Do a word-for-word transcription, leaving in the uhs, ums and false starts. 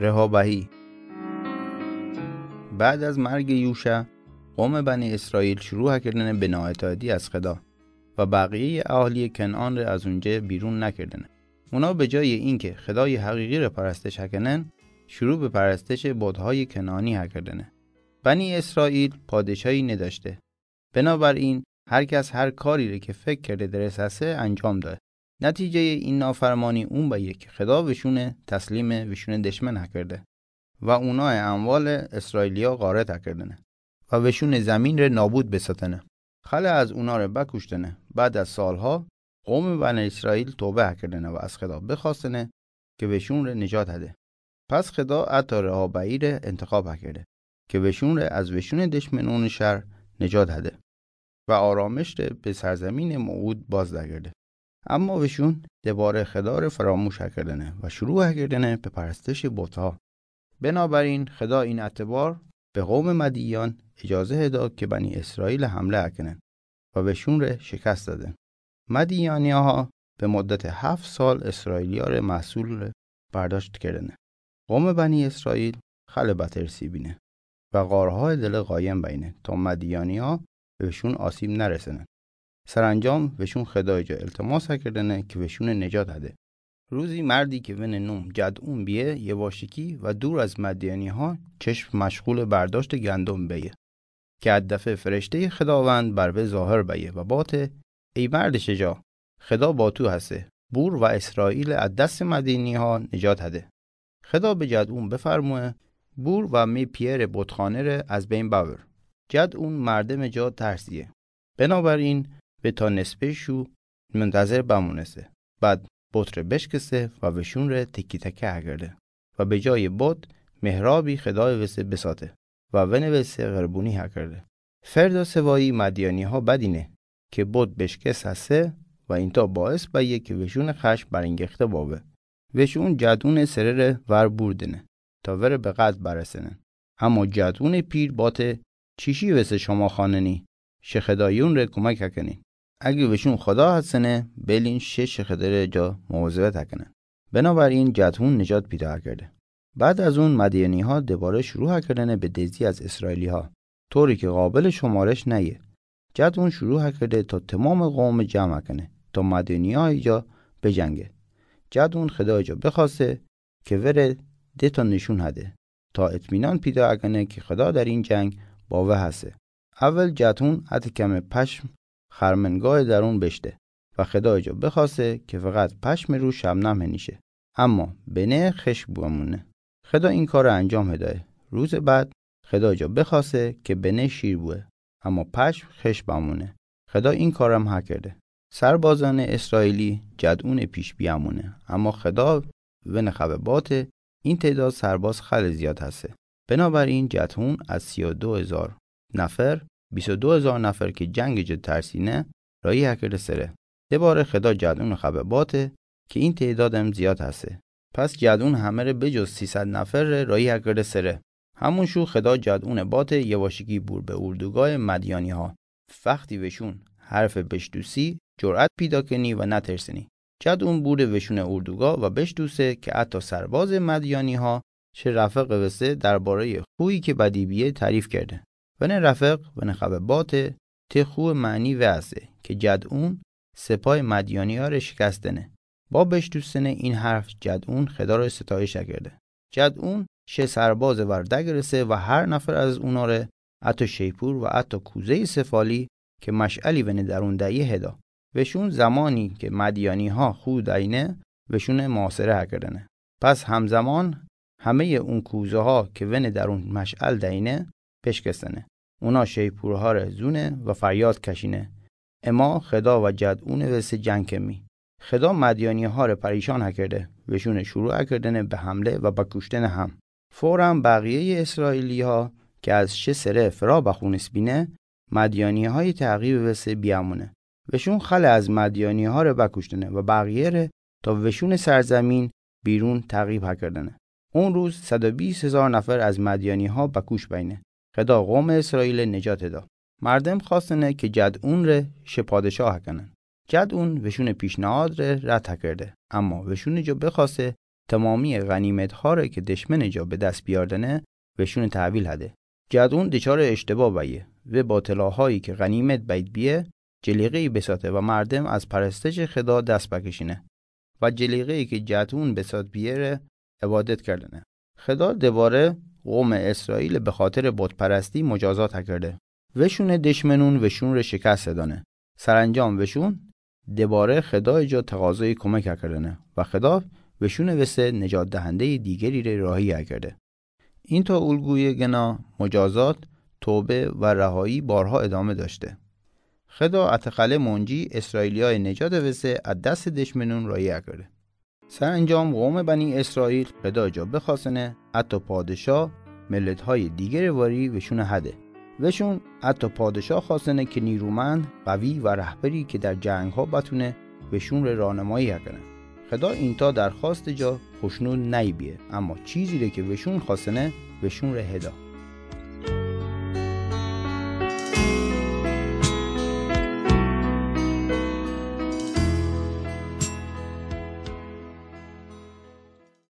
رحابهی. بعد از مرگ یوشع، قوم بنی اسرائیل شروع کردن به نااطاعتی از خدا و بقیهٔ اهالی کنعان را از اونجا بیرون نکردن. اونا به جای اینکه خدای حقیقی را پرستش کنن، شروع به پرستش بت‌های کنعانی کردن. بنی اسرائیل پادشاهی نداشته. بنابراین هر کس هر کاری را که فکر کرده درست هسته انجام داد. نتیجهٔ این نافرمانی اون به یک خدا وشون تسلیم وشون دشمن کرده و اونا اموال اسرائیلیا غارت کردنه و وشون زمین را نابود بساتنه. خیلی از اونا را بکشتنه. بعد از سالها قوم بنی اسرائیل توبه کردنه و از خدا بخواستنه که وشون را نجات هده. پس خدا عطا رحابهی را انتخاب کرده که وشون را از وشون دشمنون شهر نجات هده و آرامش را به سرزمین موعود باز دگرده. اما وشون دوباره خدا را فراموش کردنه و شروع کردنه به پرستش بت‌ها. بنابراین خدا این اعتبار به قوم مدیان اجازه داد که بنی اسرائیل حمله کنن و وشون را شکست دادن. مدیانی‌ها به مدت هفت سال اسرائیلی‌ها را محصول برداشت کردنه. قوم بنی اسرائیل خیلی بترسی بینه و غارهای دل قایم بینه تا مدیانی‌ها بهشون آسیب نرسنه. سرانجام وشون خدای جا التماس کردنه که وشون نجات هده. روزی مردی که ون نوم جدعون بیه یواشکی و دور از مدیانی‌ها چشم مشغول برداشت گندم بیه که از دفعه فرشتهٔ خداوند بر وی ظاهر بیه و باته: ای مرد شجاع، خدا با تو هسته، بور و اسرائیل از دست مدیانی‌ها نجات هده. خدا به جدعون بفرموه: بور و می پیر بتخانه ره از بین ببر. جدعون مردم جا ترسیه، بنابراین وی تا نصفه شو منتظر بمونسته. بعد بت ره بشکسته و وشون ره تکی تکه کرده و به جای بت محرابی خدای وسه بساته و ونوسه قربونی کرده. فردا سوایی مدیانی‌ها بدینه که بت بشکست هسته و اینتا باعث بیه که وشون خشم برانگیخته بابه. وشون جدعون سره ره ور بوردنه تا وره به قتل برسنن. اما جدعون پیر باته: چیشی وسه شما خواننی؟ شه خدایون ره کمک کنین. اگه وشون خدا هستنه، بلین شه شه خدا ره جا مواظبت کنن. بنابراین جدعون نجات پیدا کرده. بعد از اون مدیانی‌ها دوباره شروع کردنه به دزدی از اسرائیلی‌ها، طوری که قابل شمارش نیه. جدعون شروع کرده تا تمام قوم جمع کنه تا مدیانی‌ها جا بجنگه. جدعون خدای جا بخواسته که وره ده تا نشون هده تا اطمینان پیدا کنه که خدا در این جنگ با وی هسته. اول جدعون حتی کم پشم خرمنگاه درون بشته و خدای جا بخواسته که فقط پشم رو شبنم هنیشه، اما بنه خشک بمونه. خدا این کار انجام هدایه. روز بعد خدا جا بخواسته که بنه شیر بوه، اما پشم خشک بمونه. خدا این کارم هکرده. سربازان اسرائیلی جدعون پیش بیامونه، اما خدا ون خبه باته: این تعداد سرباز خیلی زیاد هسته. بنابراین جدعون از سی و دو هزار نفر، بیست و دو هزار نفر که جنگ جا ترسینه، راهی هکرده سره. دوباره خدا جدعون خبه باته که این تعدادم زیاد هسته. پس جدعون همه ره بجز سیصد نفر ره راهی هکرده سره. همون شو خدا جدعون باته یواشکی بور به اردوگاه مدیانی‌ها. وقتی وشون حرف بشتوسی، جرأت پیدا کنی و نترسنی. جدعون بوره وشون اردوگاه و بشتوسه که حتی سرباز مدیانی‌ها شه رفق وسه دربارهٔ خویی که بدی بیه تعریف کرده. ون رفق ون خبه باته: ته خو معنی وی هسته که جدعون سپاه مدیانی‌ها ره شکست دنه. با بشتوسن این حرف جدعون خدا ره ستایش کرده. جدعون شه سرباز ور دگرسه و هر نفر از اونا ره حتی شیپور و حتی کوزهٔ سفالی که مشعلی ون درون دیه هدا. وشون زمانی که مدیانی‌ها خو دینه، وشون محاصره هکردنه. پس همزمان همهٔ اون کوزه‌ها که ون درون مشعل دینه، بشکستنه. اونا شیپورها ره زونه و فریاد کشینه: اما خدا و جدعون وسه جنگ کمی. خدا مدیانی‌ها ره پریشان هکرده، وشون شروع هکردنه به حمله و بکوشتن هم. فوراً بقیهٔ اسرائیلی‌ها که از شه سره فرا بخونس بینه، مدیانی‌های تعقیب وسه بیامونه. وشون خیلی از مدیانی‌ها ره بکوشتنه و بقیه ره تا وشون سرزمین بیرون تعقیب هکردنه. اون روز صد و بیست هزار نفر از مدیانی‌ها بکوش بینه. خدا قوم اسرائیل نجات دا. مردم خواستنه که جدعون ره شه پادشاه هکنن. جدعون وشون پیشنهاد ره رد هکرده، اما وشون جا بخواسته تمامی غنیمت‌ها ره که دشمن جا به دست بیاردنه، وشون تحویل هده. جدعون دچار اشتباه بیه و با طلاهایی که غنیمت بید بیه، جلیقه‌ای بساته و مردم از پرستش خدا دست بکشینه و جلیقه‌ای که جدعون بسات بیه ره عبادت کردنه. خدا دوباره قوم اسرائیل به خاطر بت‌پرستی مجازات کرده. وشون دشمنون وشون ره شکست دانه. سرانجام وشون دوباره خدای جا تقاضای کمک کردنه و خدا وشون وسه نجات دهندهٔ دیگری ره راهی کرده. این تا الگوی گناه، مجازات، توبه و رهایی بارها ادامه داشته. خدا اتقله منجی اسرائیلیای نجات وسه از دست دشمنون راهی کرده. سرانجام قوم بنی اسرائیل خدا جا بخواستنه، حتی پادشاه ملت‌های دیگر واری وشون هده. وشون حتی پادشاه خواستنه که نیرومند، قوی و رهبری که در جنگ‌ها بتونه وشون ره راهنمایی کنه. خدا اینتا درخواست جا خشنود نیبیه، اما چیزی ره که وشون خواستنه، وشون ره هدا.